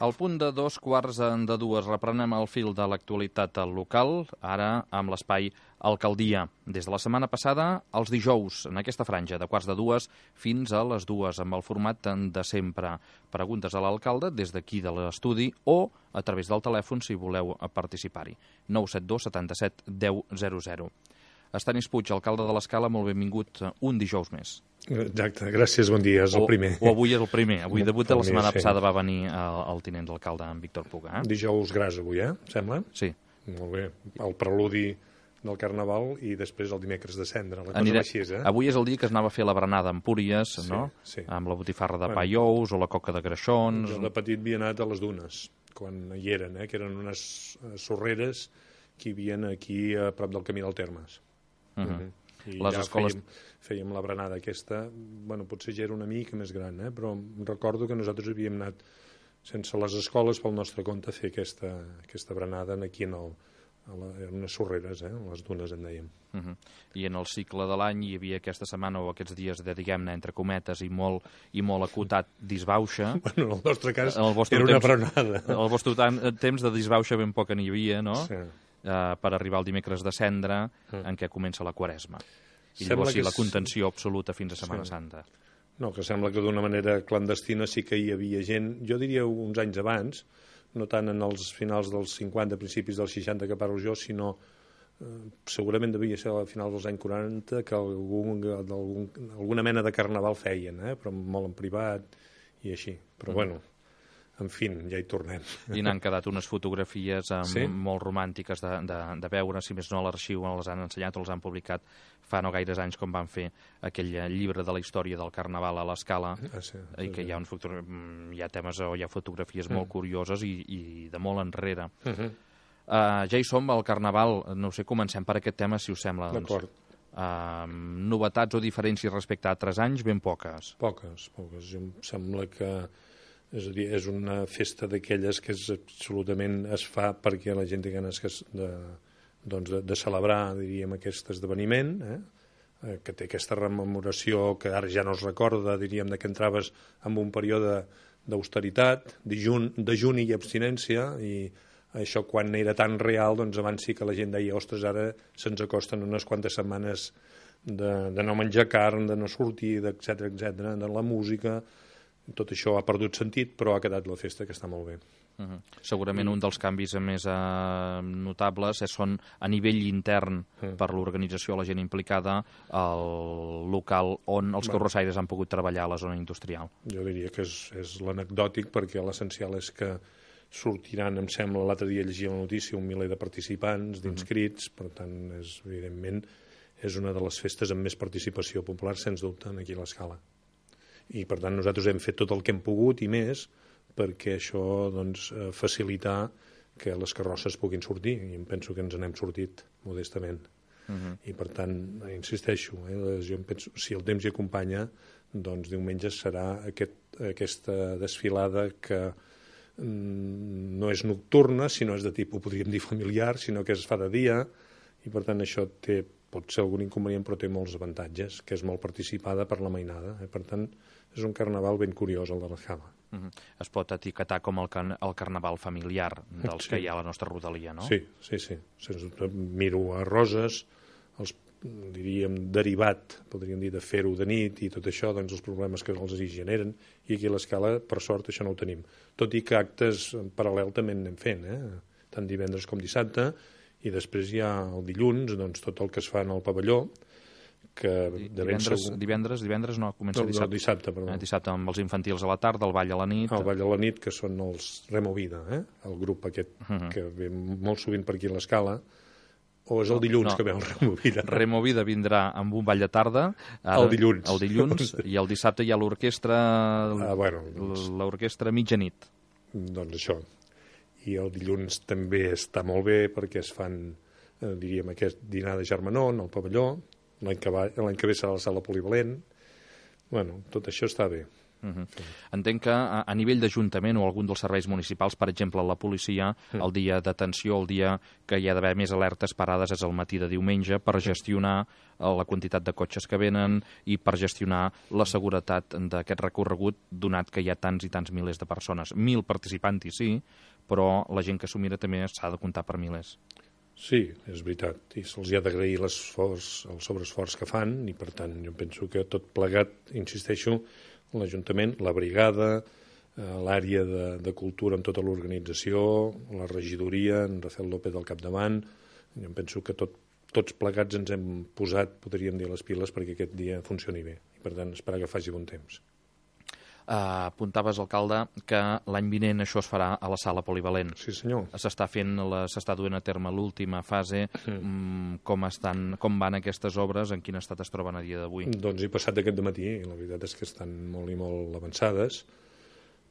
Al punt de 2:15 reprenem el fil de l'actualitat local, ara amb l'espai Alcaldia. Des de la setmana passada, els dijous, en aquesta franja, de 2:15 fins a les 2, amb el format de sempre. Preguntes a l'alcalde des d'aquí de l'estudi o a través del telèfon si voleu participar-hi. 972 77 10 00. Estanis Puig, alcalde de l'Escala, molt benvingut un dijous més. Exacte, gràcies, bon dia, és el primer. O avui és el primer, avui debuta, la setmana passada va venir el tinent d'alcalde, en Víctor Puga. Dijous gras avui, sembla? Sí. Molt bé, el preludi del Carnaval i després el dimecres de cendra, la cosa així, Avui és el dia que es anava a fer la berenada a Empúries, no? Sí. Amb la botifarra de pa i ous o la coca de greixons. Jo de petit havia anat a les dunes, quan hi eren, que eren unes sorreres que hi havia aquí a prop del camí del Termes. I les escoles... fèiem la berenada aquesta, bueno, potser ja era una mica més gran, però recordo que nosaltres havíem anat sense les escoles pel nostre compte a fer aquesta berenada aquí en unes sorreres, les dunes en dèiem. I en el cicle de l'any hi havia aquesta setmana o aquests dies de, diguem-ne, entre cometes i molt acotat disbauxa. Bueno, en el nostre cas era una berenada. El vostre temps de disbauxa ben poc n'hi havia, no? Sí. Per arribar al dimecres de cendra, en què comença la Quaresma. I llavors sí, la contenció absoluta fins a Setmana Santa. No, que sembla que d'una manera clandestina sí que hi havia gent, jo diria uns anys abans, no tant en els finals dels 50, principis dels 60 que parlo jo, sinó segurament devia ser a finals dels anys 40 que alguna mena de carnaval feien, però molt en privat i així. Però bueno, en fi, ja hi tornem. I n'han quedat unes fotografies molt romàntiques de veure, si més no a l'arxiu les han ensenyat o les han publicat fa no gaires anys quan van fer aquell llibre de la història del Carnaval a l'Escala, i que hi ha temes o hi ha fotografies molt curioses i de molt enrere. Ja hi som al Carnaval, no sé, comencem per aquest tema, si us sembla. D'acord. Novetats o diferències respecte a altres anys, ben poques. Poques. Em sembla que és a dir, és una festa d'aquelles que absolutament es fa perquè la gent té ganes de celebrar, diríem, aquest esdeveniment, que té aquesta rememoració que ara ja no es recorda, diríem, que entraves en un període d'austeritat, dejuni i abstinència, i això quan era tan real, doncs abans sí que la gent deia, ostres, ara se'ns acosten unes quantes setmanes de no menjar carn, de no sortir, etcètera, de la música. Tot això ha perdut sentit, però ha quedat la festa, que està molt bé. Segurament un dels canvis més notables són a nivell intern per l'organització, la gent implicada, el local on els carrossaires han pogut treballar a la zona industrial. Jo diria que és l'anecdòtic, perquè l'essencial és que sortiran, em sembla, l'altre dia llegia la notícia, 1 miler de participants, d'inscrits, per tant, evidentment, és una de les festes amb més participació popular, sens dubte, aquí a l'Escala. I, per tant, nosaltres hem fet tot el que hem pogut i més perquè això, doncs, facilitar que les carrosses puguin sortir, i em penso que ens n'hem sortit modestament. I, per tant, insisteixo, jo em penso, si el temps hi acompanya, doncs diumenge serà aquesta desfilada que no és nocturna, sinó és de tipus, podríem dir, familiar, sinó que es fa de dia, i, per tant, això pot ser algun inconvenient, però té molts avantatges, que és molt participada per la mainada. Per tant, és un carnaval ben curiós, el de l'Escala. Es pot etiquetar com el carnaval familiar dels que hi ha a la nostra rodalia, no? Sí. Sens dubte, miro a Roses, diríem, derivat, podríem dir, de fer-ho de nit i tot això, doncs els problemes que els hi generen, i aquí a l'Escala, per sort, això no ho tenim. Tot i que actes en paral·lel també en anem fent, tant divendres com dissabte, i després hi ha el dilluns, doncs tot el que es fa en el pavelló, que divendres no, comença dissabte. No, dissabte, perdó. Dissabte amb els infantils a la tarda, el ball a la nit. El ball a la nit, que són els Removida, el grup aquest que ve molt sovint per aquí a l'Escala, o és el dilluns que ve el Removida? Removida vindrà amb un ball de tarda. El dilluns. El dilluns, i el dissabte hi ha l'orquestra l'orquestra mitjanit. Doncs això. I el dilluns també està molt bé perquè es fan, diríem, aquest dinar de germanor al pavelló, l'any que ve serà la sala polivalent. Bueno, tot això està bé. Entenc que a nivell d'Ajuntament o algun dels serveis municipals, per exemple, la policia, el dia d'atenció, el dia que hi ha d'haver més alertes parades és el matí de diumenge per gestionar la quantitat de cotxes que venen i per gestionar la seguretat d'aquest recorregut, donat que hi ha tants i tants milers de persones. 1.000 participants-hi sí, però la gent que s'ho mira també s'ha de comptar per milers. Sí, és veritat, i se'ls ha d'agrair el sobreesforç que fan, i per tant jo penso que tot plegat, insisteixo, l'Ajuntament, la brigada, l'àrea de cultura amb tota l'organització, la regidoria, en Rafael López al capdavant, jo penso que tots plegats ens hem posat, podríem dir, les piles perquè aquest dia funcioni bé, i per tant esperar que faci bon temps. Apuntaves, alcalde, que l'any vinent això es farà a la sala polivalent. Sí, senyor. S'està duent a terme l'última fase. Com van aquestes obres? En quin estat es troben a dia d'avui? Doncs he passat aquest dematí i la veritat és que estan molt i molt avançades.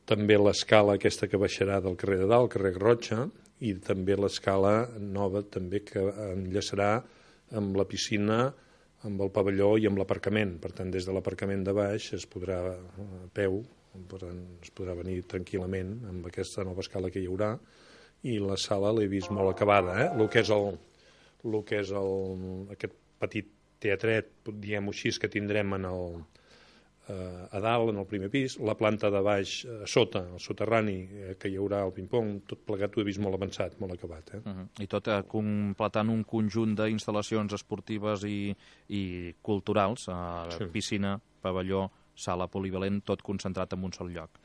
També l'escala aquesta que baixarà del carrer de Dalt, carrer Garrotxa, i també l'escala nova també que enllaçarà amb la piscina, amb el pavelló i amb l'aparcament. Per tant, des de l'aparcament de baix es podrà a peu, es podrà venir tranquil·lament amb aquesta nova escala que hi haurà, i la sala l'he vist molt acabada. El que és aquest petit teatret, diguem-ho així, que tindrem a dalt, en el primer pis, la planta de baix a sota, el soterrani, que hi haurà el ping-pong, tot plegat ho he vist molt avançat, molt acabat. I tot completant un conjunt d'instal·lacions esportives i culturals, piscina, pavelló, sala polivalent, tot concentrat en un sol lloc.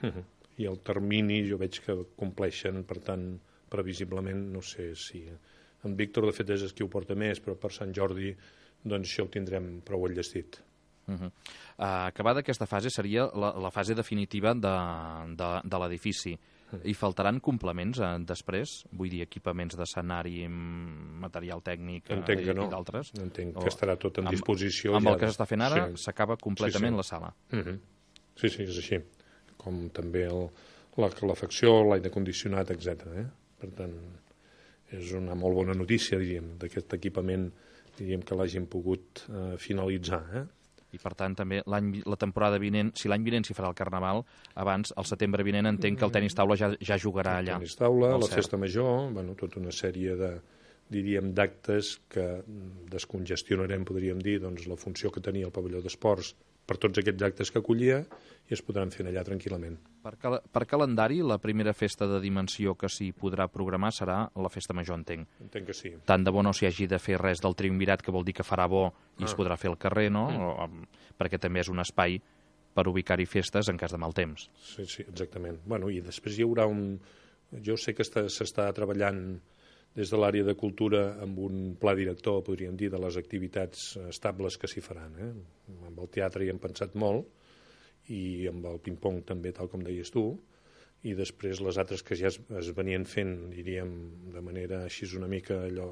I el termini jo veig que compleixen, per tant, previsiblement, no sé si... En Víctor, de fet, és qui ho porta més, però per Sant Jordi, doncs això ho tindrem prou enllestit. Acabada aquesta fase seria la fase definitiva de l'edifici. Hi faltaran complements després? Vull dir, equipaments d'escenari, material tècnic i d'altres? Entenc que estarà tot en disposició. Amb el que s'està fent ara s'acaba completament la sala. Sí, és així. Com també la calefacció, l'aire condicionat, etc. Per tant, és una molt bona notícia, diríem, d'aquest equipament, diríem que l'hagin pogut finalitzar. I, per tant, també la temporada vinent, si l'any vinent s'hi farà el Carnaval, abans, el setembre vinent, entenc que el tenis taula ja jugarà allà. El tenis taula, la festa major, tota una sèrie d'actes que descongestionarem, podríem dir, doncs, la funció que tenia el pavelló d'esports per tots aquests actes que acollia i es podran fer allà tranquil·lament. Per calendari, la primera festa de dimensió que s'hi podrà programar serà la festa major, entenc. Entenc que sí. Tant de bo no s'hi hagi de fer res del triumvirat, que vol dir que farà bo i es podrà fer al carrer, no? Perquè també és un espai per ubicar-hi festes en cas de mal temps. Sí, exactament. I després hi haurà Jo sé que s'està treballant des de l'àrea de cultura amb un pla director, podríem dir, de les activitats estables que s'hi faran. Amb el teatre hi hem pensat molt, i amb el ping-pong també, tal com deies tu, i després les altres que ja es venien fent, diríem, de manera així una mica allò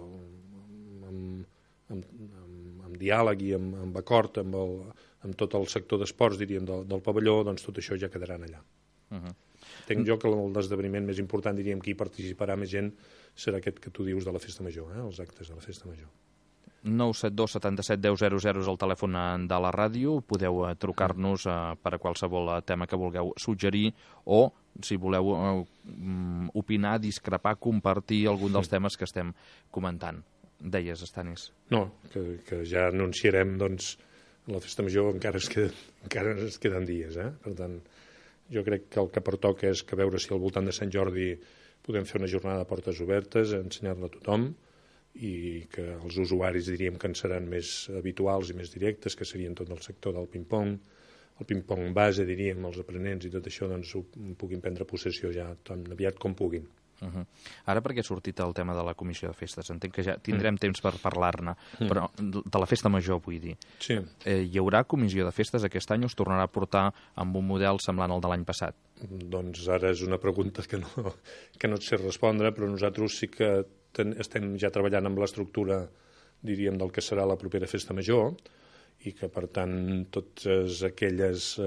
amb diàleg i amb acord amb tot el sector d'esports, diríem, del pavelló, doncs tot això ja quedaran allà. Entenc jo que l'esdeveniment més important, diríem, que hi participarà més gent, serà aquest que tu dius de la festa major, els actes de la festa major. 972 77 10 00 és el telèfon de la ràdio. Podeu trucar-nos per a qualsevol tema que vulgueu suggerir o, si voleu opinar, discrepar, compartir algun dels temes que estem comentant. Deies, Estanis? No, que ja anunciarem, doncs, la festa major encara es queden dies. Per tant, jo crec que el que pertoca és que veure si al voltant de Sant Jordi podem fer una jornada de portes obertes, ensenyar-la a tothom, i que els usuaris diríem que en seran més habituals i més directes, que serien tot el sector del ping-pong, el ping-pong base, diríem, els aprenents i tot això, doncs ho puguin prendre possessió ja tan aviat com puguin. Ara perquè ha sortit el tema de la comissió de festes, entenc que ja tindrem temps per parlar-ne, però de la festa major, vull dir. Sí. Hi haurà comissió de festes aquest any o es tornarà a portar amb un model semblant al de l'any passat? Doncs ara és una pregunta que no et sé respondre, però nosaltres sí que estem ja treballant amb l'estructura, diríem, del que serà la propera festa major, i que, per tant, tots aquells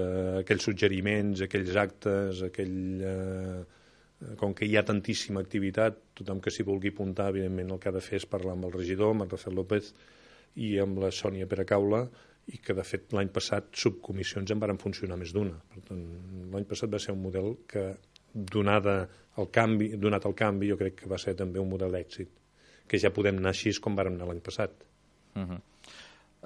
suggeriments, aquells actes, com que hi ha tantíssima activitat, tothom que s'hi vulgui apuntar, evidentment, el que ha de fer és parlar amb el regidor, amb el Rafael López, i amb la Sònia Peracaula, i que, de fet, l'any passat subcomissions en varen funcionar més d'una. Per tant, l'any passat va ser un model que, donat el canvi, jo crec que va ser també un model d'èxit, que ja podem anar així com vàrem anar l'any passat.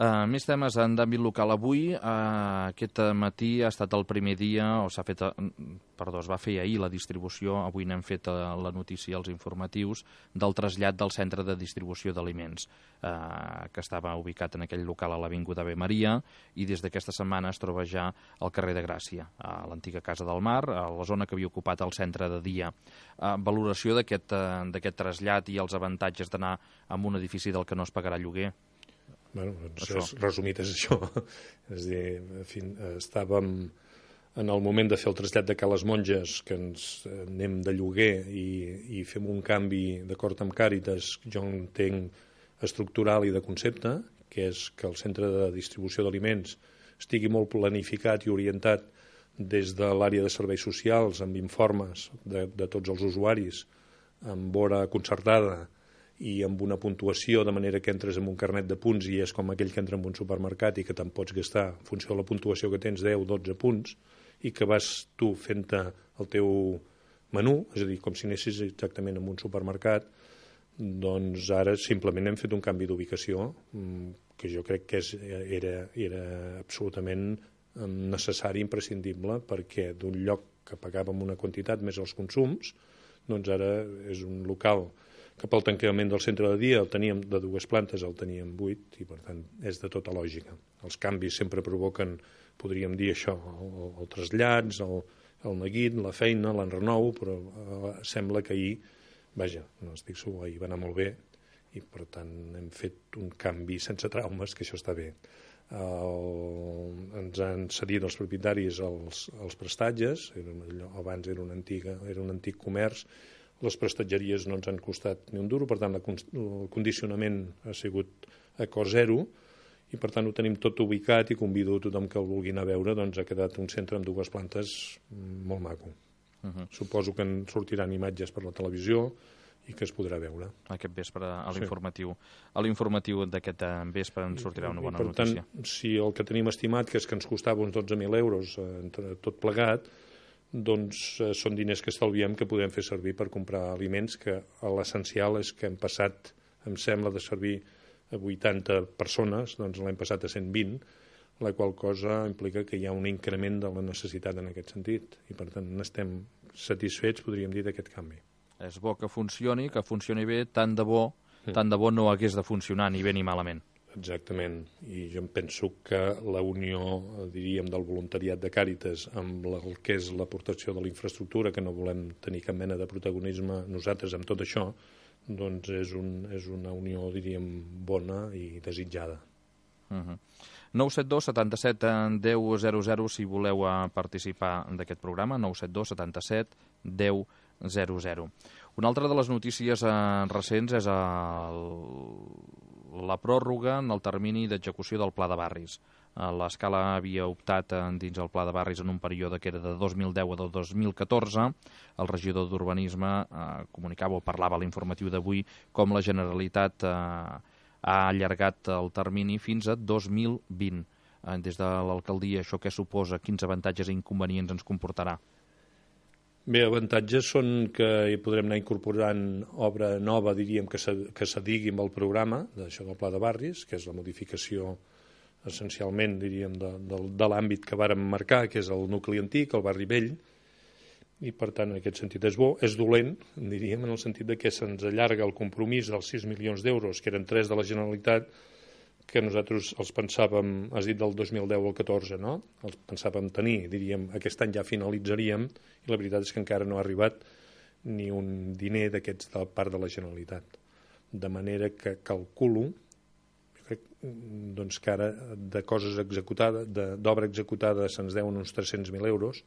Més temes en d'àmbit local. Avui, aquest matí, ha estat el primer dia, es va fer ahir la distribució, avui n'hem fet la notícia als informatius, del trasllat del centre de distribució d'aliments, que estava ubicat en aquell local a l'Avinguda Ave Maria, i des d'aquesta setmana es troba ja al carrer de Gràcia, a l'antiga Casa del Mar, a la zona que havia ocupat el centre de dia. Valoració d'aquest trasllat i els avantatges d'anar a un edifici del que no es pagarà lloguer? Bueno, doncs resumit és això. És a dir, estàvem en el moment de fer el trasllat de Cales Monges, que ens anem de lloguer i fem un canvi d'acord amb Càritas, jo entenc estructural i de concepte, que és que el centre de distribució d'aliments estigui molt planificat i orientat des de l'àrea de serveis socials, amb informes de tots els usuaris, amb hora concertada, i amb una puntuació, de manera que entres amb un carnet de punts i és com aquell que entra en un supermercat i que te'n pots gastar en funció de la puntuació que tens, 10, 12 punts, i que vas tu fent-te el teu menú, és a dir, com si anessis exactament en un supermercat. Doncs ara simplement hem fet un canvi d'ubicació que jo crec que era absolutament necessari, imprescindible, perquè d'un lloc que pagàvem una quantitat més els consums, doncs ara és un local que pel tancament del centre de dia el teníem de 2 plantes, el teníem 8, i per tant és de tota lògica. Els canvis sempre provoquen, podríem dir això, el trasllats, el neguit, la feina, l'enrenou, però sembla que ahir, vaja, no estic segur, ahir va anar molt bé, i per tant hem fet un canvi sense traumes, que això està bé. Ens han cedit els propietaris els prestatges, abans era un antic comerç. Les prestatgeries no ens han costat ni un duro, per tant el condicionament ha sigut a cost zero, i per tant ho tenim tot ubicat, i convido a tothom que el vulgui anar a veure. Doncs ha quedat un centre amb 2 plantes molt maco. Suposo que en sortiran imatges per la televisió i que es podrà veure. Aquest vespre a l'informatiu. A l'informatiu d'aquest vespre ens sortirà una bona notícia. Per tant, si el que tenim estimat, que és que ens costava uns 12.000 euros tot plegat, doncs són diners que estalviem, que podem fer servir per comprar aliments, que l'essencial és que hem passat, em sembla, de servir a 80 persones, doncs l'hem passat a 120, la qual cosa implica que hi ha un increment de la necessitat en aquest sentit, i per tant estem satisfets, podríem dir, d'aquest canvi. És bo que funcioni bé, tant de bo no hagués de funcionar ni bé ni malament. Exactament, i jo em penso que la unió, diríem, del voluntariat de Càritas amb el que és l'aportació de la infraestructura, que no volem tenir cap mena de protagonisme nosaltres amb tot això, doncs és una unió, diríem, bona i desitjada. 972 77 10 00 si voleu participar d'aquest programa, 972 77 10 00. Una altra de les notícies recents és la pròrroga en el termini d'execució del Pla de Barris. L'Escala havia optat dins el Pla de Barris en un període que era de 2010 a 2014. El regidor d'Urbanisme comunicava o parlava a l'informatiu d'avui com la Generalitat ha allargat el termini fins a 2020. Des de l'alcaldia, això què suposa? Quins avantatges i inconvenients ens comportarà? Bé, avantatges són que hi podrem anar incorporant obra nova, diríem, que s'adigui amb el programa d'això del Pla de Barris, que és la modificació essencialment, diríem, de l'àmbit que vàrem marcar, que és el nucli antic, el barri vell, i per tant en aquest sentit és bo. És dolent, diríem, en el sentit de que se'ns allarga el compromís dels 6 milions d'euros, que eren 3 de la Generalitat, que nosaltres els pensàvem, has dit del 2010 al 14, no? Els pensàvem tenir, diríem, aquest any ja finalitzaríem, i la veritat és que encara no ha arribat ni un diner d'aquests de part de la Generalitat. De manera que calculo, jo crec, doncs que ara de coses executades, d'obra executada se'ns deuen uns 300.000 euros,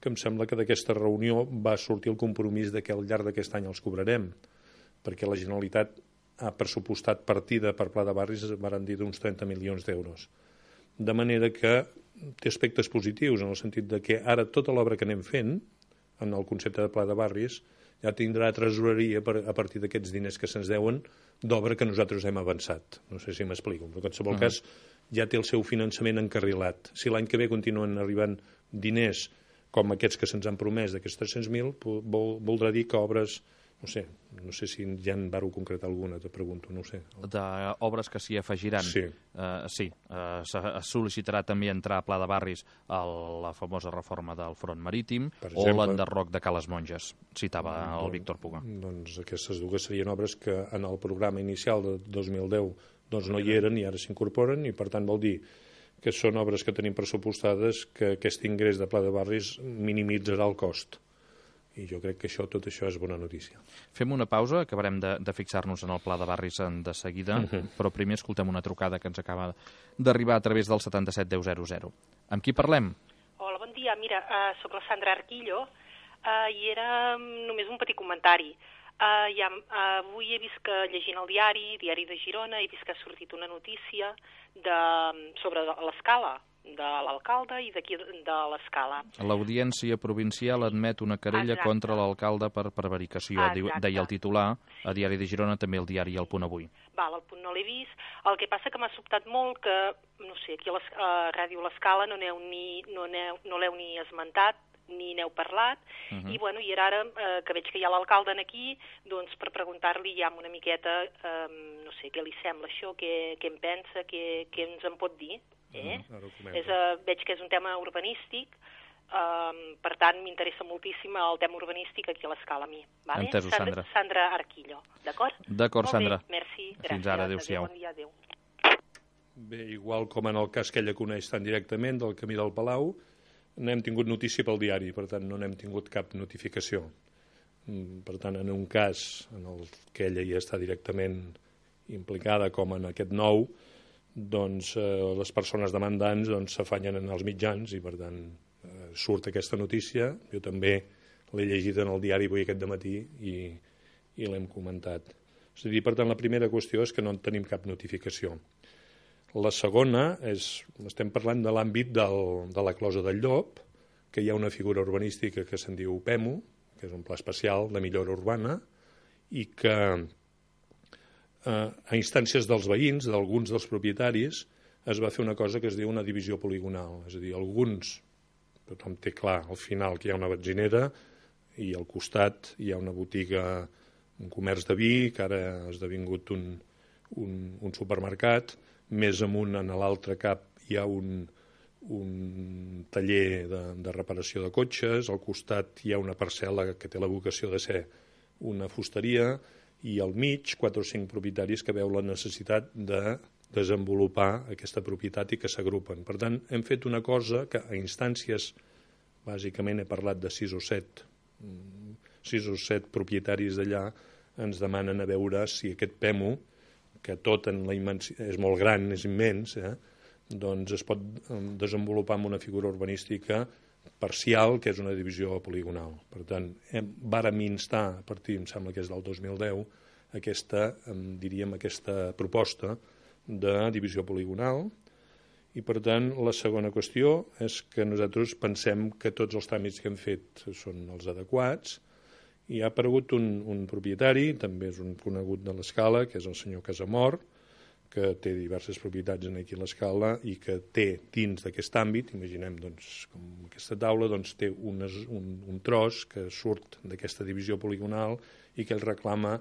que em sembla que d'aquesta reunió va sortir el compromís de que al llarg d'aquest any els cobrarem, perquè la Generalitat ha pressupostat partida per Pla de Barris, van dir d'uns 30 milions d'euros. De manera que té aspectes positius, en el sentit de que ara tota l'obra que anem fent, en el concepte de Pla de Barris, ja tindrà tresoreria a partir d'aquests diners que se'ns deuen d'obra que nosaltres hem avançat. No sé si m'explico, però en qualsevol cas ja té el seu finançament encarrilat. Si l'any que ve continuen arribant diners com aquests que se'ns han promès, d'aquests 300.000, voldrà dir que obres, no sé si ja en vau concretar alguna, te pregunto, no ho sé. D'obres que s'hi afegiran. Sí. Es sol·licitarà també entrar a Pla de Barris a la famosa reforma del front marítim o l'enderroc de Cales Monges, citava el Víctor Puga. Doncs aquestes dues serien obres que en el programa inicial de 2010 doncs no hi eren i ara s'incorporen, i per tant vol dir que són obres que tenim pressupostades, que aquest ingrés de Pla de Barris minimitzarà el cost. I jo crec que tot això és bona notícia. Fem una pausa, acabarem de fixar-nos en el Pla de Barris de seguida, però primer escoltem una trucada que ens acaba d'arribar a través del 77 10 00. Amb qui parlem? Hola, bon dia. Mira, sóc la Sandra Arquillo i era només un petit comentari. Avui he vist que, llegint el Diari de Girona, he vist que ha sortit una notícia sobre l'Escala, de l'alcalde i d'aquí de l'Escala. L'Audiència Provincial admet una querella contra l'alcalde per prevaricació, deia el titular, a Diari de Girona, també el diari El Punt Avui. Val, el Punt no l'he vist. El que passa que m'ha sobtat molt que, no sé, aquí a Ràdio l'Escala no l'heu ni esmentat, ni n'heu parlat, i bueno, i ara que veig que hi ha l'alcalde aquí, doncs per preguntar-li ja una miqueta, no sé, què li sembla això, què en pensa, què ens en pot dir. Veig que és un tema urbanístic, per tant m'interessa moltíssim el tema urbanístic aquí a l'Escala a mi. Entesos, Sandra. Sandra Arquillo, d'acord? D'acord, Sandra. Merci, gràcies. Fins ara, adéu-siau. Bon dia, adéu. Bé, igual com en el cas que ella coneix tan directament del Camí del Palau, n'hem tingut notícia pel diari, per tant no n'hem tingut cap notificació. Per tant, en un cas en el que ella ja està directament implicada, com en aquest nou, doncs les persones demandants s'afanyen en els mitjans i per tant surt aquesta notícia. Jo també l'he llegit en el diari avui aquest dematí i l'hem comentat. És a dir, per tant, la primera qüestió és que no en tenim cap notificació. La segona estem parlant de l'àmbit de la Closa del Llop, que hi ha una figura urbanística que se'n diu PEMU, que és un pla especial de millora urbana, i que a instàncies dels veïns, d'alguns dels propietaris, es va fer una cosa que es diu una divisió poligonal. És a dir, tothom té clar al final que hi ha una benzinera i al costat hi ha una botiga, un comerç de vi, que ara ha esdevingut un supermercat. Més amunt, en l'altre cap, hi ha un taller de reparació de cotxes, al costat hi ha una parcel·la que té la vocació de ser una fusteria, i al mig 4 o 5 propietaris que veu la necessitat de desenvolupar aquesta propietat i que s'agrupen. Per tant, hem fet una cosa que a instàncies, bàsicament he parlat de 6 o 7 propietaris d'allà, ens demanen a veure si aquest PEMU, que tot en la és molt gran, és immens, doncs es pot desenvolupar amb una figura urbanística parcial, que és una divisió poligonal. Per tant, vàrem instar, a partir, em sembla que és del 2010, aquesta proposta de divisió poligonal, i per tant la segona qüestió és que nosaltres pensem que tots els tràmits que hem fet són els adequats, i ha aparegut un propietari, també és un conegut de l'Escala, que és el senyor Casamor, que té diverses propietats aquí a l'Escala i que té dins d'aquest àmbit, imaginem com aquesta taula, té un tros que surt d'aquesta divisió poligonal i que ell reclama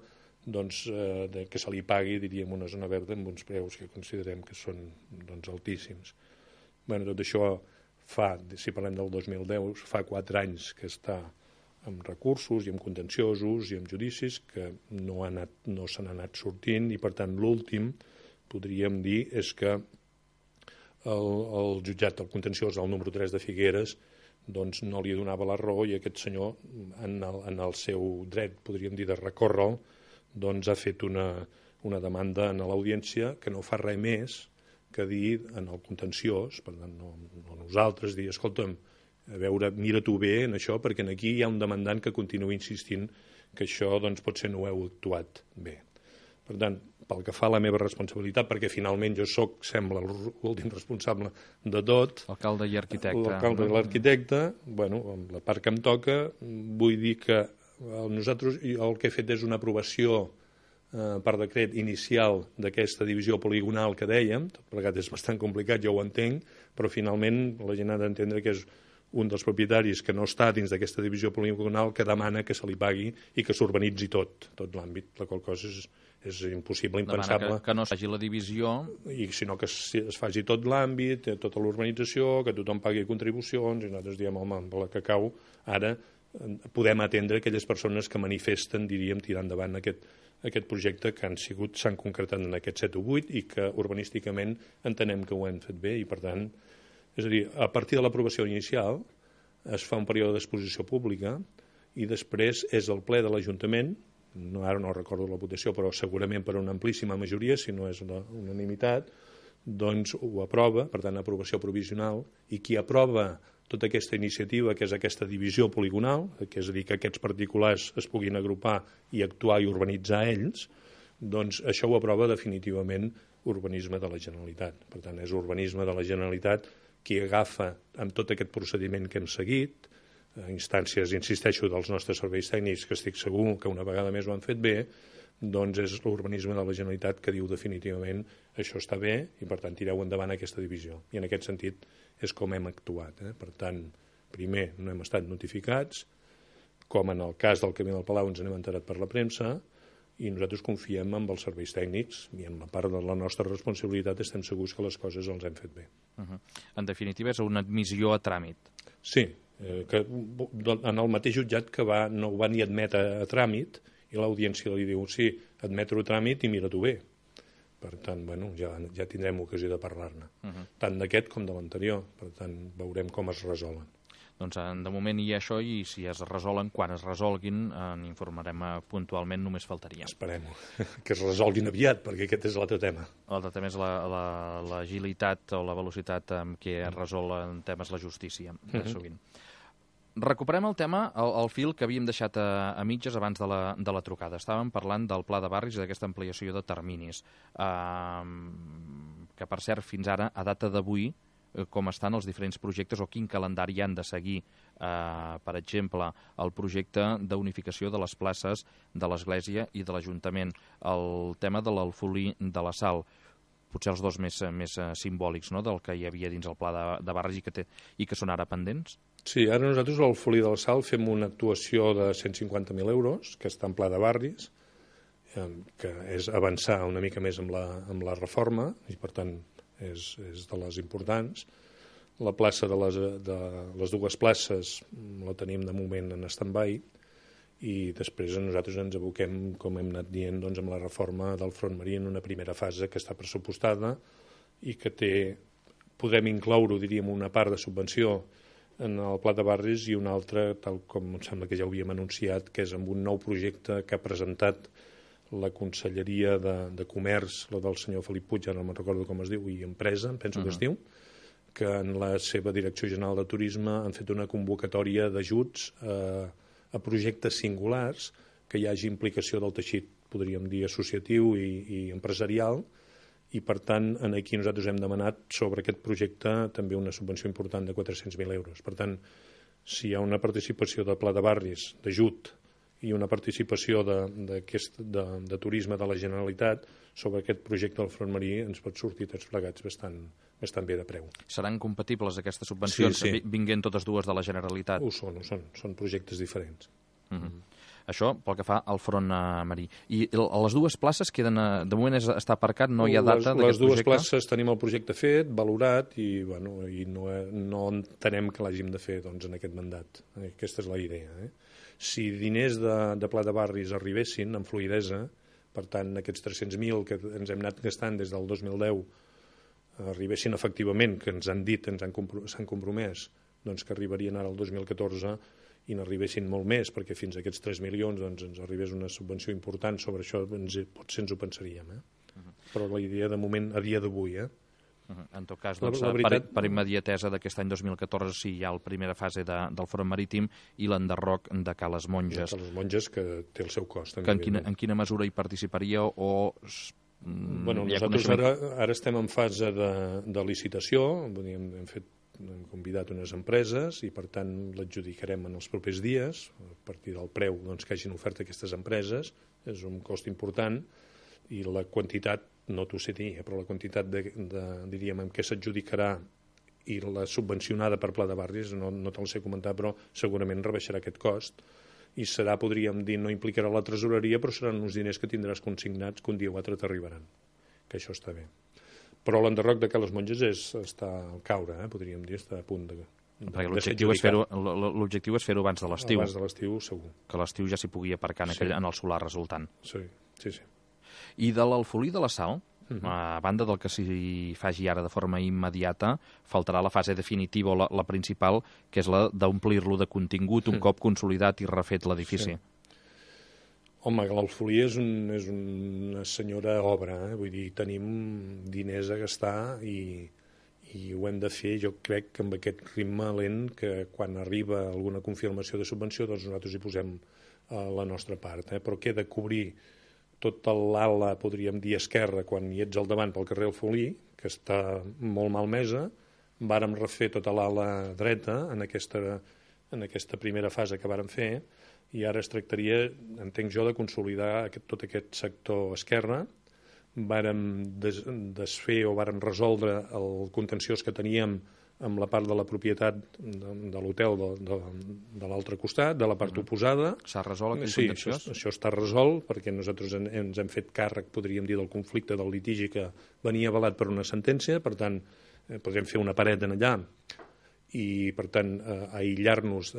que se li pagui, diríem, una zona verda amb uns preus que considerem que són altíssims. Tot això si parlem del 2010, fa 4 anys que està amb recursos i amb contenciosos i amb judicis que no se n'ha anat sortint, i per tant l'últim, podríem dir, és que el jutjat del contenciós del número 3 de Figueres no li donava la raó, i aquest senyor, en el seu dret, podríem dir, de recórrer-lo, ha fet una demanda a l'audiència que no fa res més que dir en el contenciós, per tant no nosaltres, dir, escolta'm, a veure, mira tu bé en això, perquè aquí hi ha un demandant que continua insistint que això potser no ho heu actuat bé. Per tant, pel que fa a la meva responsabilitat, perquè finalment jo sembla l'últim responsable de tot. Alcalde i arquitecte. L'alcalde i l'arquitecte, amb la part que em toca, vull dir que nosaltres el que he fet és una aprovació per decret inicial d'aquesta divisió poligonal que dèiem, tot plegat és bastant complicat, jo ho entenc, però finalment la gent ha d'entendre que és un dels propietaris que no està dins d'aquesta divisió poligonal que demana que se li pagui i que s'urbanitzi tot l'àmbit, la qual cosa és impossible, impensable. Demana que no es faci la divisió. I sinó que es faci tot l'àmbit, tota l'urbanització, que tothom pagui contribucions, i nosaltres diem, home, amb la que cau, ara podem atendre aquelles persones que manifesten, diríem, tirar endavant aquest projecte que s'han concretat en aquest 7 o 8 i que urbanísticament entenem que ho hem fet bé i, per tant, és a dir, a partir de l'aprovació inicial es fa un període d'exposició pública i després és el ple de l'Ajuntament, ara no recordo la votació, però segurament per una amplíssima majoria, si no és una unanimitat, doncs ho aprova, per tant, aprovació provisional, i qui aprova tota aquesta iniciativa, que és aquesta divisió poligonal, que és a dir, que aquests particulars es puguin agrupar i actuar i urbanitzar ells, doncs això ho aprova definitivament Urbanisme de la Generalitat. Per tant, és Urbanisme de la Generalitat qui agafa amb tot aquest procediment que hem seguit, instàncies, insisteixo, dels nostres serveis tècnics, que estic segur que una vegada més ho han fet bé, doncs és l'Urbanisme de la Generalitat que diu definitivament això està bé i, per tant, tireu endavant aquesta divisió. I en aquest sentit és com hem actuat. Per tant, primer no hem estat notificats, com en el cas del Camí del Palau ens n'hem enterat per la premsa, i nosaltres confiem en els serveis tècnics i en la part de la nostra responsabilitat estem segurs que les coses els hem fet bé. En definitiva, és una admissió a tràmit. Sí, que en el mateix jutjat que no ho va ni admetre a tràmit i l'audiència li diu, sí, admetre-ho a tràmit i mira-t'ho bé. Per tant, bueno, ja tindrem ocasió de parlar-ne, tant d'aquest com de l'anterior. Per tant, veurem com es resolen. Doncs de moment hi ha això i si es resolen, quan es resolguin, n'informarem puntualment, només faltaria. Esperem-ho, que es resolguin aviat, perquè aquest és l'altre tema. L'altre tema és l'agilitat o la velocitat amb què es resolen temes la justícia, sovint. Recuperem el tema, el fil que havíem deixat a mitges abans de la trucada. Estàvem parlant del pla de barris i d'aquesta ampliació de terminis, que per cert fins ara, a data d'avui, com estan els diferents projectes o quin calendari han de seguir, per exemple, el projecte d'unificació de les places de l'Església i de l'Ajuntament, el tema de l'Alfolí de la Sal, potser els dos més simbòlics, no?, del que hi havia dins el pla de barris i que són ara pendents? Sí, ara nosaltres al Folí de la Sal fem una actuació de 150.000 euros, que està en pla de barris, que és avançar una mica més amb la reforma, i per tant és de les importants. La plaça de les dues places la tenim de moment en stand-by, i després nosaltres ens aboquem, com hem anat dient, doncs, amb la reforma del Front Marí en una primera fase que està pressupostada i que podem incloure, diríem, una part de subvenció en el pla de barris i una altra, tal com em sembla que ja ho havíem anunciat, que és amb un nou projecte que ha presentat la Conselleria de Comerç, la del senyor Felip Puig, ara no me'n recordo com es diu, i Empresa, em penso que es diu, que en la seva Direcció General de Turisme han fet una convocatòria d'ajuts a projectes singulars que hi hagi implicació del teixit, podríem dir, associatiu i empresarial, i per tant aquí nosaltres hem demanat sobre aquest projecte també una subvenció important de 400.000 euros. Per tant, si hi ha una participació de pla de barris, d'ajut, i una participació de turisme de la Generalitat sobre aquest projecte del Front Marí, ens pot sortir tots plegats bastant bé de preu. Seran compatibles aquestes subvencions, sí. Vinguent totes dues de la Generalitat? Ho són projectes diferents. Això pel que fa al Front Marí. I les dues places queden, de moment està aparcat, no hi ha data d'aquest projecte? Les dues places tenim el projecte fet, valorat, i no entenem que l'hàgim de fer en aquest mandat. Aquesta és la idea. Si diners de pla de barris arribessin amb fluïdesa, per tant, aquests 300.000 que ens hem anat gastant des del 2010 arribessin efectivament, que ens han dit, s'han compromès, doncs que arribarien ara el 2014 i n'arribessin molt més, perquè fins a aquests 3 milions ens arribés una subvenció important sobre això, potser ens ho pensaríem. Però la idea de moment, a dia d'avui. En tot cas, per immediatesa d'aquest any 2014 sí hi ha la primera fase del Front Marítim i l'enderroc de Cales Monges. Cales Monges, que té el seu cost. En quina mesura hi participaria o... Nosaltres ara estem en fase de licitació, hem convidat unes empreses i per tant l'adjudicarem en els propers dies a partir del preu que hagin ofert aquestes empreses. és un cost important, i la quantitat, no t'ho sé dir, però la quantitat diríem, en què s'adjudicarà i la subvencionada per Pla de Barris, no te'l sé comentar, però segurament rebaixarà aquest cost, i serà, podríem dir, no implicarà la tresoreria, però seran uns diners que tindràs consignats que un dia o altre t'arribaran, que això està bé. Però l'enderroc de Cales Monges està al caure, podríem dir, està a punt de l'objectiu és fer-ho abans de l'estiu. Abans de l'estiu, segur. Que l'estiu ja s'hi pugui aparcar en el solar resultant. Sí. I de l'Alfolí de la Sal, a banda del que s'hi faci ara de forma immediata, faltarà la fase definitiva, o la principal, que és la d'omplir-lo de contingut un cop consolidat i refet l'edifici. Sí. Home, l'Alfolí és una senyora obra, vull dir, tenim diners a gastar i ho hem de fer, jo crec que amb aquest ritme lent, que quan arriba alguna confirmació de subvenció, doncs nosaltres hi posem la nostra part, però queda cobrir tota l'ala, podríem dir, esquerra, quan hi ets al davant pel carrer Alfolí, que està molt malmesa. Vàrem refer tota l'ala dreta en aquesta primera fase que vàrem fer, i ara es tractaria, entenc jo, de consolidar tot aquest sector esquerre. Vàrem desfer o vàrem resoldre el contenciós que teníem amb la part de la propietat de l'hotel de l'altre costat, de la part oposada. S'ha resolt aquell contenciós? Sí, això està resolt, perquè nosaltres ens hem fet càrrec, podríem dir, del conflicte, del litigi que venia avalat per una sentència, per tant, podem fer una paret en allà i, per tant, aïllar-nos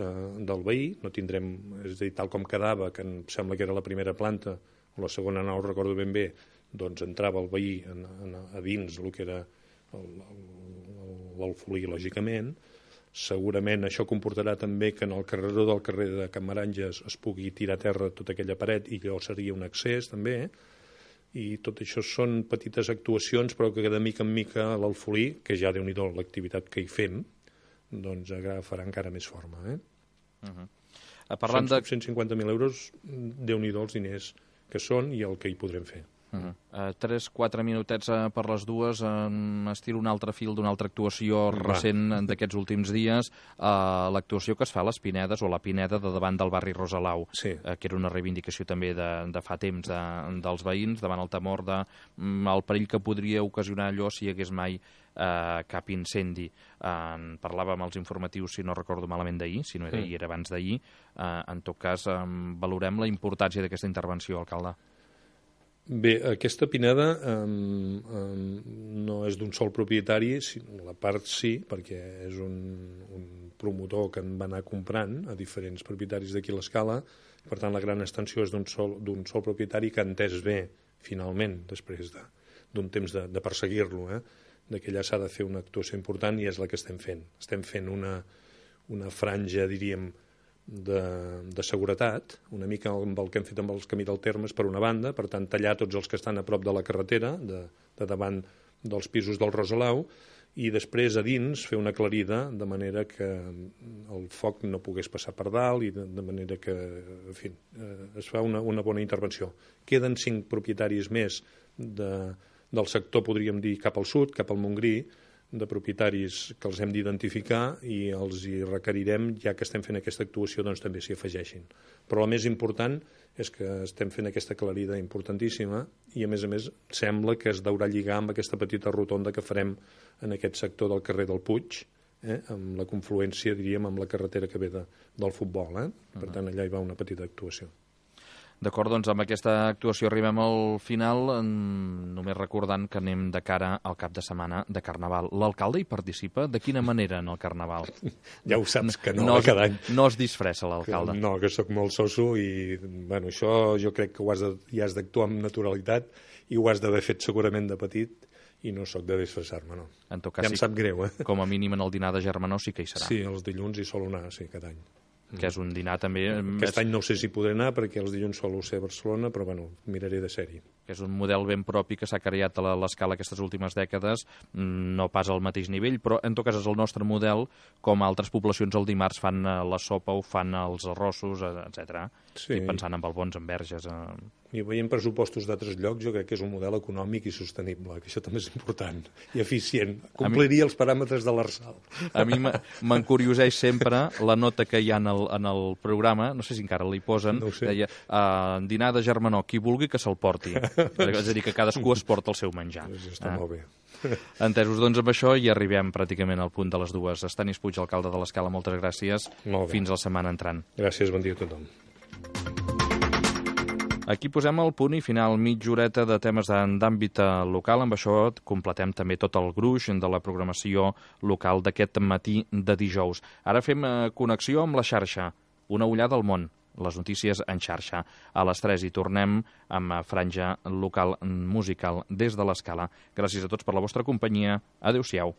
del veí. No tindrem, és a dir, tal com quedava, que em sembla que era la primera planta, o la segona, no ho recordo ben bé, doncs entrava el veí a dins el que era l'Alfolí, lògicament. Segurament això comportarà també que en el carreró del carrer de Can Maranges es pugui tirar a terra tota aquella paret, i llavors seria un accés també, i tot això són petites actuacions, però que de mica en mica l'Alfolí, que ja déu-n'hi-do l'activitat que hi fem, doncs agafarà encara més forma. Són 150.000 euros, déu-n'hi-do els diners que són i el que hi podrem fer. 3-4 minutets per les dues. Estiro un altre fil d'una altra actuació recent d'aquests últims dies, l'actuació que es fa a les Pinedes, o la Pineda de davant del barri Rosalau, que era una reivindicació també de fa temps dels veïns, davant el temor del perill que podria ocasionar allò si hi hagués mai cap incendi. Parlàvem als informatius, si no recordo malament, d'ahir, si no era ahir, era abans d'ahir. En tot cas, valorem la importància d'aquesta intervenció, alcalde. Bé, aquesta Pineda no és d'un sol propietari, la part sí, perquè és un promotor que en va anar comprant a diferents propietaris d'aquí a l'Escala. Per tant, la gran extensió és d'un sol propietari que ha entès bé, finalment, després d'un temps de perseguir-lo, que allà s'ha de fer una actuació important, i és la que estem fent. Estem fent una franja, diríem, de seguretat, una mica amb el que hem fet amb els camí del Termes, per una banda, per tant, tallar tots els que estan a prop de la carretera, de davant dels pisos del Rosalau, i després a dins fer una aclarida de manera que el foc no pogués passar per dalt, i de manera que, en fi, es fa una bona intervenció. Queden 5 propietaris més del sector, podríem dir, cap al sud, cap al Montgrí, de propietaris que els hem d'identificar, i els hi requerirem, ja que estem fent aquesta actuació, doncs també s'hi afegeixin. Però el més important és que estem fent aquesta aclarida importantíssima, i a més sembla que es deurà lligar amb aquesta petita rotonda que farem en aquest sector del carrer del Puig, amb la confluència, diríem, amb la carretera que ve del futbol. Per tant, allà hi va una petita actuació. D'acord, doncs amb aquesta actuació arribem al final, només recordant que anem de cara al cap de setmana de Carnaval. L'alcalde hi participa? De quina manera en el Carnaval? Ja ho saps que no cada any. No es disfressa l'alcalde? No, que sóc molt soso, i bueno, això jo crec que hi has d'actuar amb naturalitat, i ho has d'haver fet segurament de petit, i no sóc de disfressar-me, no. En tot cas, ja em sap greu, Com a mínim en el dinar de Germanó sí que hi serà. Sí, els dilluns hi sol anar, sí, cada any. Que és un dinar també... Aquest any no sé si podré anar, perquè els dilluns solo ser a Barcelona, però bueno, miraré de ser-hi. que és un model ben propi que s'ha creat a l'Escala aquestes últimes dècades, no pas al mateix nivell, però en tot cas és el nostre model, com altres poblacions el dimarts fan la sopa o fan els arrossos, etc. Sí. I pensant en Albons, en Verges... I veient pressupostos d'altres llocs, jo crec que és un model econòmic i sostenible, que això també és important, i eficient. Compliria els paràmetres de l'Arsal. A mi m'encurioseix sempre la nota que hi ha en el programa, no sé si encara li posen, no ho sé. deia, dinar de germanor, qui vulgui que se'l porti. És a dir, que cadascú es porta el seu menjar. Això està molt bé. Entesos, doncs amb això i arribem pràcticament al punt de les 2. Estanis Puig, alcalde de l'Escala, moltes gràcies. Fins la setmana entrant. Gràcies, bon dia a tothom. Aquí posem el punt i final, mitja horeta de temes d'àmbit local. Amb això completem també tot el gruix de la programació local d'aquest matí de dijous. Ara fem connexió amb la xarxa, una ullada al món, les notícies en xarxa. A les 3 hi tornem amb franja local musical des de l'Escala. Gràcies a tots per la vostra companyia. Adéu-siau.